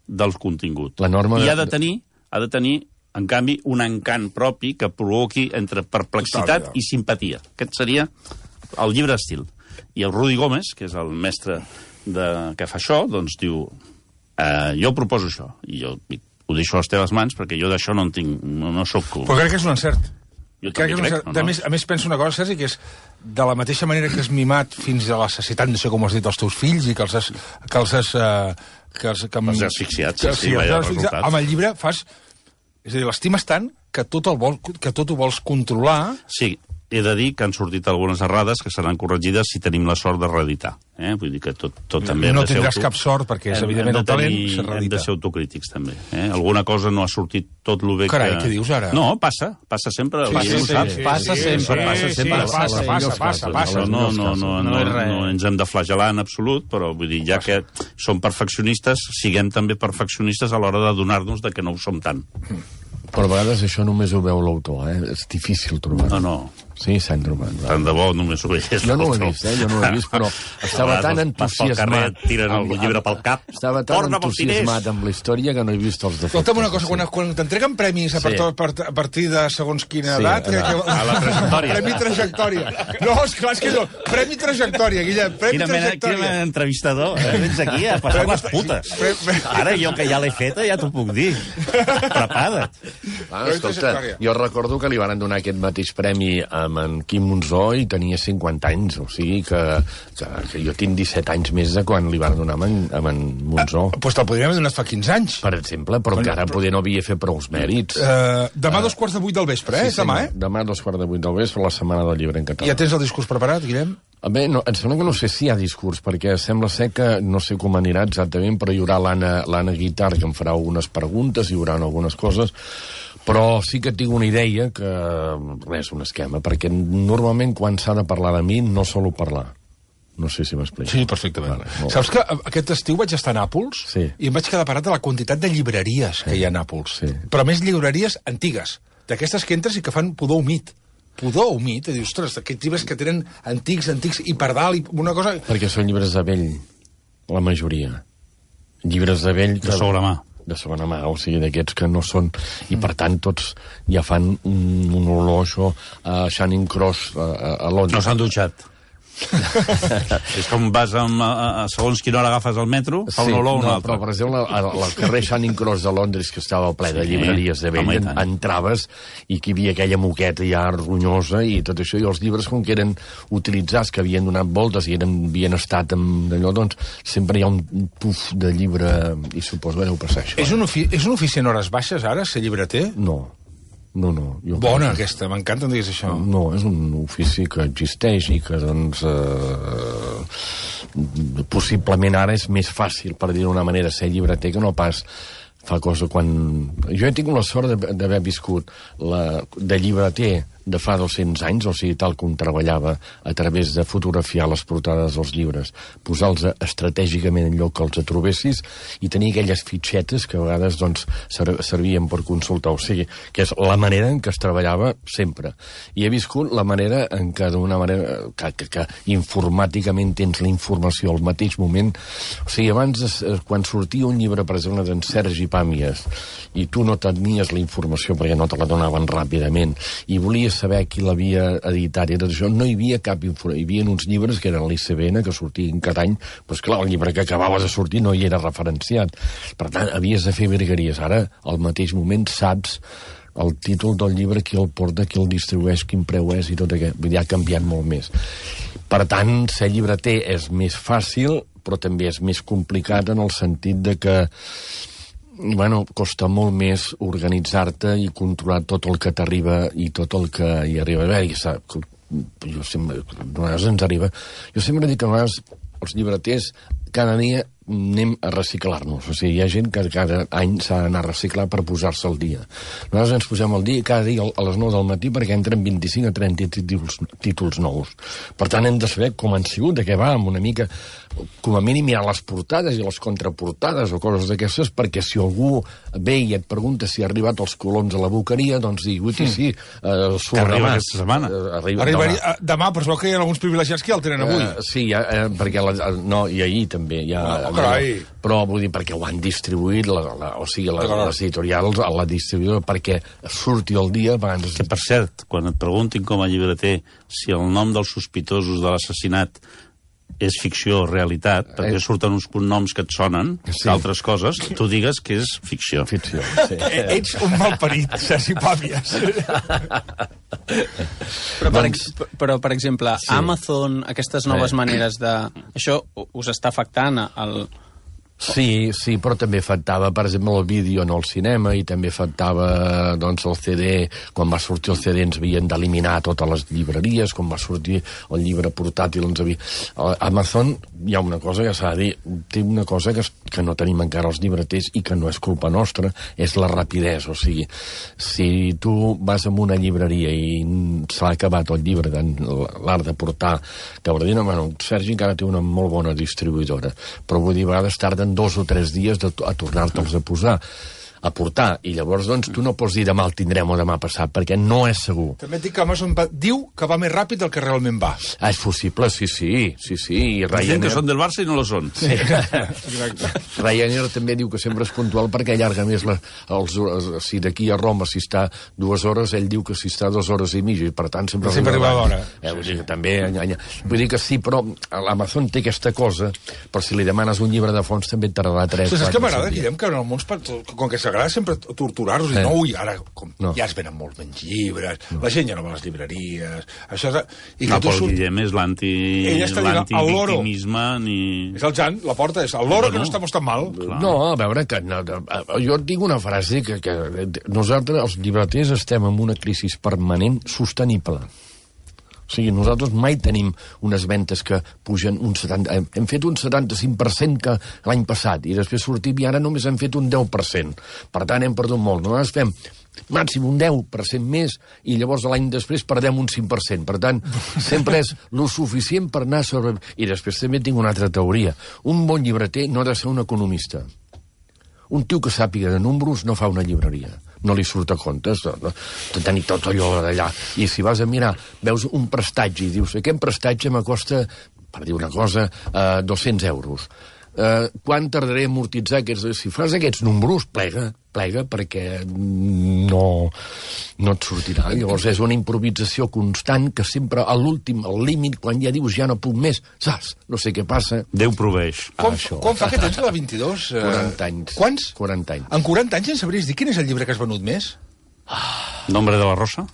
del contingut. La norma I de... ha de tenir, ha de tenir, en canvi, un encant propi que provoqui entre perplexitat i simpatia. Aquest seria el llibre d'estil. I el Rudi Gómez, que és el mestre de, que fa això, doncs diu, eh, jo proposo això. I jo ho deixo a les teves mans perquè jo d'això no en tinc, no, no soc... Però crec que és un encert. Jo crec que és un crec, encert. no, no. A, més, a més, penso una cosa, Sergi, que és de la mateixa manera que has mimat fins a la necessitat, no sé com has dit, els teus fills i que els has... Que els has uh, que els, que, els has asfixiat, sí, sí, sí, vaya resultat. Amb el llibre fas... És a dir, l'estimes tant que tot, el vol, que tot ho vols controlar... Sí, he de dir que han sortit algunes errades que seran corregides si tenim la sort de reeditar. Eh? Vull dir que tot, tot també... No hem de ser tindràs auto... cap sort, perquè és hem, evidentment hem el talent, tenir, se reedita. Hem de ser autocrítics, també. Eh? Alguna cosa no ha sortit tot el bé Carai, que... què dius ara? No, passa, passa sempre. Sí, Sí, sí, sí, sí, passa sí, sempre. Sí, passa sí, sempre. sí, passa, passa, passa, passa. No, no, no, no, No és res. no ens hem de flagelar en absolut, però vull dir, ja que som perfeccionistes, siguem també perfeccionistes a l'hora de donar-nos de que no ho som tant. Però a vegades això només ho veu l'autor, eh? És difícil trobar. No, no. Sí, Sandroman. Tant de bo, només ho veiés. Jo no ho he vist, eh? Jo no ho he vist, però estava tan entusiasmat... Tiren el llibre pel cap. Estava tan entusiasmat amb la història que no he vist els defectes. Escolta'm una cosa, quan, quan t'entreguen premis a, sí. per, a partir de segons quina sí, edat... A, que, a la trajectòria. Premi trajectòria. No, esclar, és que no. Premi trajectòria, Guillem, premi quina mena, trajectòria. Quina mena d'entrevistador. Eh? Vens aquí a passar les putes. Ara jo que ja l'he feta ja t'ho puc dir. Prepara't. Ah, escolta, jo recordo que li van donar aquest mateix premi amb en Quim Monzó i tenia cinquanta anys, o sigui que, que, que jo tinc disset anys més de quan li van donar amb en, amb en Monzó. Doncs ah, pues te'l podríem haver donat fa quinze anys. Per exemple, però bueno, encara però... poder no havia fet prou mèrits. Uh, demà uh, dos quarts de vuit del vespre, eh? Sí, demà, eh? Demà dos quarts de vuit del vespre, la Setmana del Llibre en català. Ja tens el discurs preparat, Guillem? Bé, no, em sembla que no sé si hi ha discurs, perquè sembla ser que, no sé com anirà exactament, però hi haurà l'Anna Guitar, que em farà algunes preguntes, hi haurà algunes coses, però sí que tinc una idea que, res, un esquema, perquè normalment quan s'ha de parlar de mi no solo parlar. No sé si m'explico. Sí, perfectament. Vale, saps que aquest estiu vaig estar a Nàpols sí. i em vaig quedar parat de la quantitat de llibreries sí. que hi ha a Nàpols. Sí. Però més llibreries antigues, d'aquestes que entres i que fan pudor humit. Pudor humit, i dius, ostres, aquests llibres que tenen antics, antics, i per dalt, i una cosa... Perquè són llibres de vell, la majoria. Llibres de vell... Que... De segona mà. de segona mà, o sigui, d'aquests que no són... I, per tant, tots ja fan un, un olor, això, a Channing Cross, a, a Londres. No s'han dutxat. És com vas amb, a, a, segons quina hora agafes el metro, fa sí, un olor o un no, altre. Però, per exemple, al, al carrer Channing Cross de Londres, que estava ple de llibreries de vell, en, entraves i que hi havia aquella moqueta ja ronyosa i tot això, i els llibres, com que eren utilitzats, que havien donat voltes i eren, havien estat amb allò, doncs sempre hi ha un puf de llibre, i suposo que deu passar això. És un, ofi és un ofici en hores baixes, ara, ser llibreter? No. No, no. Jo Bona, que... aquesta, m'encanta em diguis això. No, és un ofici que existeix i que, doncs, eh, possiblement ara és més fàcil, per dir d'una manera, ser llibreter que no pas fa cosa quan... Jo he tingut la sort d'haver viscut la... de llibreter de fa dos-cents anys, o sigui, tal com treballava a través de fotografiar les portades dels llibres, posar-los estratègicament en lloc que els trobessis i tenir aquelles fitxetes que a vegades doncs, servien per consultar. O sigui, que és la manera en què es treballava sempre. I he viscut la manera en què, d'una manera, que, que, que informàticament tens la informació al mateix moment. O sigui, abans, quan sortia un llibre, per exemple, d'en Sergi Pàmies, i tu no tenies la informació perquè no te la donaven ràpidament, i volies saber qui l'havia editat i tot això, no hi havia cap informació. Hi havia uns llibres que eren l'I C B N, que sortien cada any, però esclar, el llibre que acabava de sortir no hi era referenciat. Per tant, havies de fer virgueries. Ara, al mateix moment, saps el títol del llibre, qui el porta, qui el distribueix, quin preu és i tot aquest. Vull dir, ha canviat molt més. Per tant, ser llibreter és més fàcil, però també és més complicat en el sentit de que bueno, costa molt més organitzar-te i controlar tot el que t'arriba i tot el que hi arriba. A veure, sap, jo sempre, a vegades ens arriba... Jo sempre dic que a vegades els llibreters cada dia anem a reciclar-nos. O sigui, hi ha gent que cada any s'ha d'anar a reciclar per posar-se al dia. Nosaltres ens posem al dia cada dia a les nou del matí perquè entren vint-i-cinc a trenta títols, títols nous. Per tant, hem de saber com han sigut, de què va, amb una mica, com a mínim mirar les portades i les contraportades o coses d'aquestes, perquè si algú ve i et pregunta si ha arribat els coloms a la boqueria, doncs digui, ui, sí, eh, que arriba aquesta setmana. Eh, arriba Arribaria, demà. demà, però es veu que hi ha alguns privilegiats que ja el tenen avui. Eh, sí, ja, eh, perquè la, no, i ahir també. Ja, oh, carai. Però vull dir, perquè ho han distribuït, la, la, o sigui, la, les editorials a la distribuïdora, perquè surti el dia abans... Que, per cert, quan et preguntin com a llibreter si el nom dels sospitosos de l'assassinat és ficció o realitat, perquè eh. surten uns cognoms que et sonen, sí. D'altres coses, tu digues que és ficció. Ficció, sí. Ets un malparit, Sergi Pàmies. Però, per, ex, però, per exemple, sí. Amazon, aquestes noves eh. maneres de... Això us està afectant al... Sí, sí, però també afectava, per exemple, el vídeo en el cinema i també afectava, doncs, el C D. Quan va sortir el C D ens havien d'eliminar totes les llibreries, quan va sortir el llibre portàtil ens havia... Amazon, hi ha una cosa que s'ha de dir, té una cosa que, que no tenim encara els llibreters i que no és culpa nostra, és la rapidesa. O sigui, si tu vas a una llibreria i s'ha acabat el llibre de l'art de portar, t'haurà dit, no, bueno, Sergi encara té una molt bona distribuïdora, però vull dir, a vegades tarden dos o tres dies de, a tornar-te'ls a posar. a portar. I llavors, doncs, tu no pots dir demà el tindrem o demà passat, perquè no és segur. També et dic que Amazon va, diu que va més ràpid del que realment va. Ah, és possible, sí, sí, sí, sí. I Gent Ryanair... que són del Barça i no lo són. Sí. Exacte. Ryanair també diu que sempre és puntual perquè allarga més la, els, si d'aquí a Roma si està dues hores, ell diu que si està dues hores i mitja, i per tant sempre, sempre arriba a l'hora. Eh, vull dir que també enganya. Vull dir que sí, però l'Amazon té aquesta cosa, però si li demanes un llibre de fons també et tardarà tres, quatre... Saps què m'agrada, dies. Guillem, que en el món, com que s'agrada sempre torturar-los, i Eh. no, ui, ara com, No. ja es venen molts menys llibres, no. La gent ja no va a les llibreries, això és... I No, que tu però el surt... Guillem és l'anti... Ell està dient, el loro. l'antivictimisme ni... És el Jan, la porta, és el loro que no estamos tan mal. Clar. No, a veure, que no, jo et dic una frase que, que nosaltres, els llibreters, estem en una crisi permanent sostenible. O sigui, nosaltres mai tenim unes ventes que pugen un setanta... Hem fet un setanta-cinc per cent que l'any passat, i després sortim i ara només hem fet un deu per cent. Per tant, hem perdut molt. Nosaltres fem màxim un deu per cent més i llavors l'any després perdem un cinc per cent. Per tant, sempre és lo suficient per anar sobre... I després també tinc una altra teoria. Un bon llibreter no ha de ser un economista. Un tio que sàpiga de números no fa una llibreria. No li surt a comptes de, de, de tenir tot allò d'allà. I si vas a mirar, veus un prestatge i dius, aquest prestatge m'acosta, per dir una cosa, eh, dos-cents euros. Eh, quan tardaré a amortitzar aquests... Si fas aquests números, plega, plega, perquè no, no et sortirà. Llavors és una improvisació constant que sempre a l'últim, al límit, quan ja dius ja no puc més, saps? No sé què passa. Déu proveix. Com, això. com fa que tens la vint-i-dos? Eh, quaranta anys. Quants? quaranta anys. En quaranta anys ens sabries dir quin és el llibre que has venut més? Nombre de la Rosa?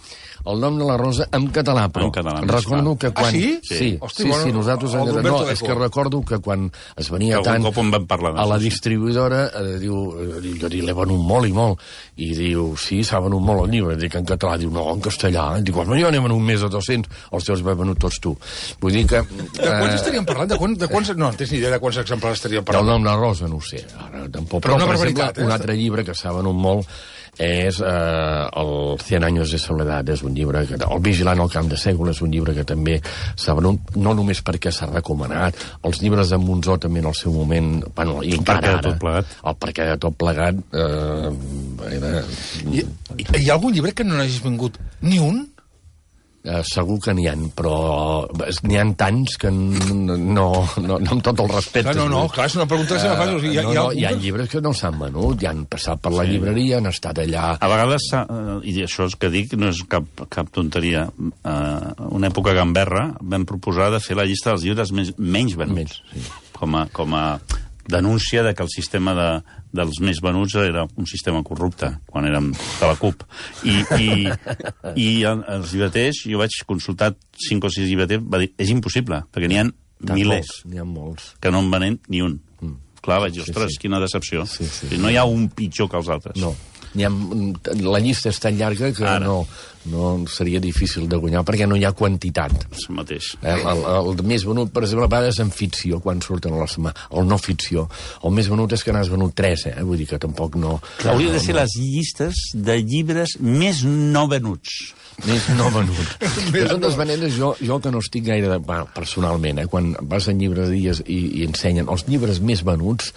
El nom de la Rosa en català, però En català, més recordo clar. que quan... Ah, sí? Sí, Sí. sí, Hosti, sí, bueno, sí nosaltres... el En... d'Umberto No, Eco. és que recordo que quan es venia Que tant... algun cop en vam parlar A la d'això, sí. distribuïdora, eh, diu, eh, jo dic, l'he venut molt i molt, i diu, sí, s'ha venut molt el llibre, dic en català, diu, no, en castellà, dic, bueno, jo n'he venut més de dos-cents, els teus vas venut tots tu. Vull dir que... De quants estaríem parlant? De quants, de quants... No, no tens ni idea de quants exemplars estaríem El parlant. nom de la Rosa, no ho sé, ara tampoc. Però una per barbaritat, exemple, eh? un altre llibre que s'ha venut molt és eh, el Cien años de soledad, és un llibre que... El Vigilant al camp de Sègol és un llibre que també s'ha venut, no només perquè s'ha recomanat, els llibres de Monzó també en el seu moment, bueno, i El encara perquè de ara, tot plegat. el perquè de tot plegat eh, era, Hi, hi, hi ha algun llibre que no n'hagis vingut ni un? eh, segur que n'hi ha, però n'hi ha tants que no, no, no amb tot el respecte. Clar, no, no, clar, és una pregunta que se me fa. O sigui, hi, ha- no, hi ha no, algun hi ha que- llibres que no s'han venut, ja han passat per la llibreria, han estat allà... A vegades, s'ha- eh, i això és que dic, no és cap, cap tonteria, eh, una època a Gamberra vam proposar de fer la llista dels llibres més, menys venuts. Menys, sí. Com a, com a denúncia de que el sistema de, dels més venuts era un sistema corrupte, quan érem de la CUP. I, i, i el- els llibreters, jo vaig consultar cinc o sis llibreters, va dir, és impossible, perquè n'hi ha Tant milers molts, N'hi ha molts. que no en venen ni un. Mm. Clar, vaig dir, Sí, ostres, sí. quina decepció. Sí, sí. No hi ha un pitjor que els altres. No. N'hi ha, la llista és tan llarga que Ara. no, no seria difícil de guanyar perquè no hi ha quantitat. És el mateix. Eh, El, el, el més venut, per exemple, a vegades en ficció, quan surten a la setmana. El no ficció. El més venut és que n'has venut tres, eh? Vull dir que tampoc no... Hauria de no, ser no. les llistes de llibres més no venuts. Més no venut. De totes maneres, jo, jo que no estic gaire... De, bueno, personalment, eh, quan vas en llibreries i, i ensenyen els llibres més venuts,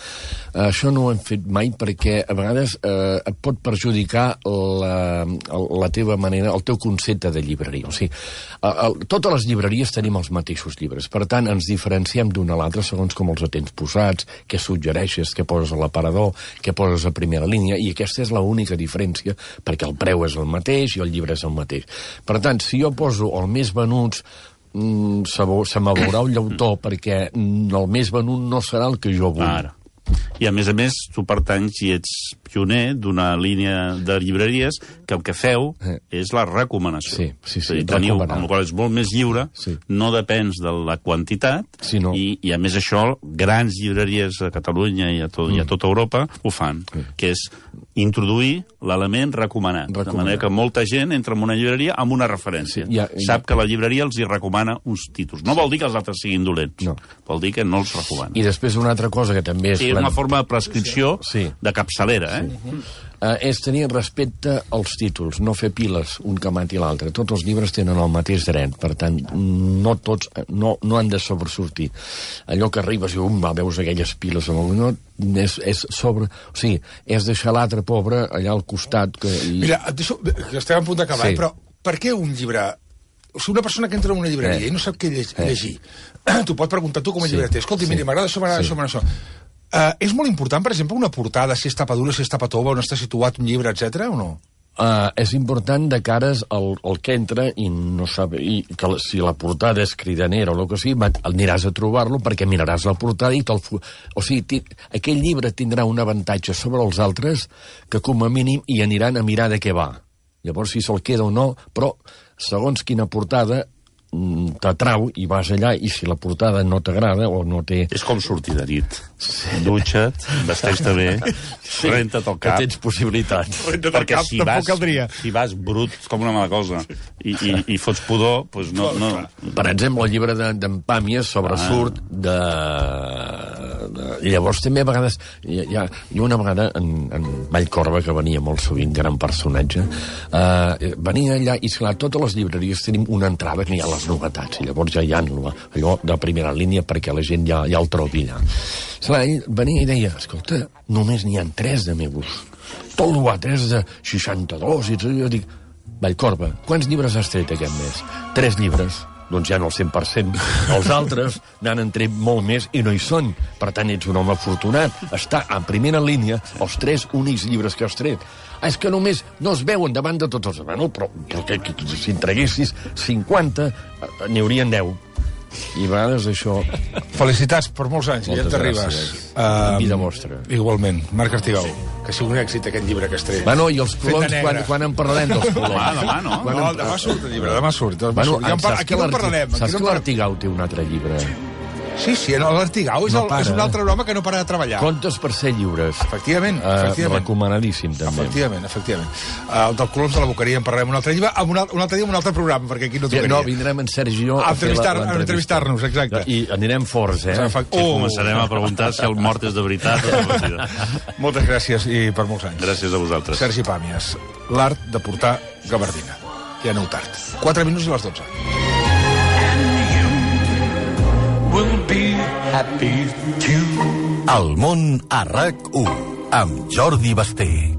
eh, això no ho hem fet mai perquè a vegades eh, et pot perjudicar la, la teva manera, el teu concepte de llibreria. O sigui, a, a, totes les llibreries tenim els mateixos llibres. Per tant, ens diferenciem d'una a l'altra segons com els tens posats, què suggereixes, què poses a l'aparador, què poses a primera línia, i aquesta és l'única diferència, perquè el preu és el mateix i el llibre és el mateix. Per tant, si jo poso el més venuts, mm, se, se me veurà un llautó, perquè mm, el més venut no serà el que jo vull. Ara. I a més a més, tu pertanys i ets pioner d'una línia de llibreries que el que feu Eh. és la recomanació. Sí, sí, sí, És a dir, teniu, recomanar. amb la qual és molt més lliure, Sí. no depens de la quantitat, Sí, no. i, i a més això, grans llibreries a Catalunya i a, tot, mm. i a tota Europa ho fan, Sí. que és introduir l'element recomanat, Recomanat. de manera que molta gent entra en una llibreria amb una referència. Sí, ja- ja- Sap que la llibreria els hi recomana uns títols. No vol dir que els altres siguin dolents, No. vol dir que no els recomana. I després una altra cosa que també és... Sí, és una forma de prescripció Sí. de capçalera, eh? Uh, és tenir respecte als títols, no fer piles un que mati l'altre. Tots els llibres tenen el mateix dret, per tant, no tots no, no han de sobresortir. Allò que arribes i um, veus aquelles piles amb el... No, és, és sobre... O sigui, és deixar l'altre pobre allà al costat... Que, i... Mira, et deixo, que estem a punt d'acabar, Sí. però per què un llibre... O sigui, una persona que entra en una llibreria Eh. i no sap què llegir, Eh. llegir. Tu pots preguntar tu com a Sí. llibreter. Escolta, Sí. mira, m'agrada això, m'agrada Sí. això, m'agrada això. Uh, és molt important, per exemple, una portada, si és tapa dura, si és tapa tova, on està situat un llibre, etcètera, o no? Uh, és important de cares al, al que entra i no sap, i que la- si la portada és cridanera o el que sigui, va, aniràs a trobar-lo perquè miraràs la portada i te'l... fu- O sigui, ti, aquell llibre tindrà un avantatge sobre els altres que com a mínim hi aniran a mirar de què va. Llavors, si se'l queda o no, però segons quina portada mm, t'atrau i vas allà i si la portada no t'agrada o no té... És com sortir de nit. Dutxa't, vesteix-te bé, renta't el que cap. tens possibilitats. Perquè si vas, si vas brut com una mala cosa i, i, i fots pudor, doncs no... no... Per exemple, el llibre d'en de, Pàmies sobresurt Ah. de, de... I llavors també a vegades... Hi, hi ha, hi ha una vegada en, en Vallcorba, que venia molt sovint, gran personatge, eh, venia allà i, esclar, totes les llibreries tenim una entrada que hi ha les novetats, i llavors ja hi ha allò de primera línia perquè la gent ja, ja el trobi allà. Esclar, ell venia i deia, escolta, només n'hi ha tres de meus. Tot l'altre és de seixanta-dos, i jo dic, Vallcorba, quants llibres has tret aquest mes? Tres llibres. Doncs ja no el cent per cent. Els altres n'han tret molt més i no hi són. Per tant, ets un home afortunat. Està en primera línia els tres únics llibres que has tret. Ah, és que només no es veuen davant de tots els... Bueno, però, però que, que, que, si en traguessis cinquanta, n'hi haurien deu. I a vegades això... Felicitats per molts anys, Moltes Guillem Terribas. gràcies. En vida vostra. Igualment. Marc Artigau, que sigui un èxit aquest llibre que has tret. Bueno, i els Fet de colons, negre. quan, quan en parlarem dels colons? Demà, demà, no? Quan No, en- demà surt el llibre, demà surt. Demà Bueno, surt. Ja en par... saps Aquí que no en l'Arti- parlarem. Aquí Saps no que en par... l'Artigau té un altre llibre? Sí, sí, l'Artigau és, No el, para, és un eh? altre home que no para de treballar. Contes per ser lliures. Efectivament, Eh, efectivament. recomanadíssim, també. Efectivament, efectivament. Uh, el del Coloms de la Boqueria en parlarem un altre llibre, un, al- un altre dia amb un altre programa, perquè aquí no tocaria. No, vindrem en Sergi i jo A a fer la- entrevistar- a l'entrevista. entrevistar-nos, exacte. I anirem forts, eh? Efecti- I Oh. començarem a preguntar si el mort és de veritat o de mentida. Moltes gràcies i per molts anys. Gràcies a vosaltres. Sergi Pàmies, l'art de portar gabardina. Ja aneu tard. quatre minuts i les dotze. Will be happy too. El món a RAC u amb Jordi Basté.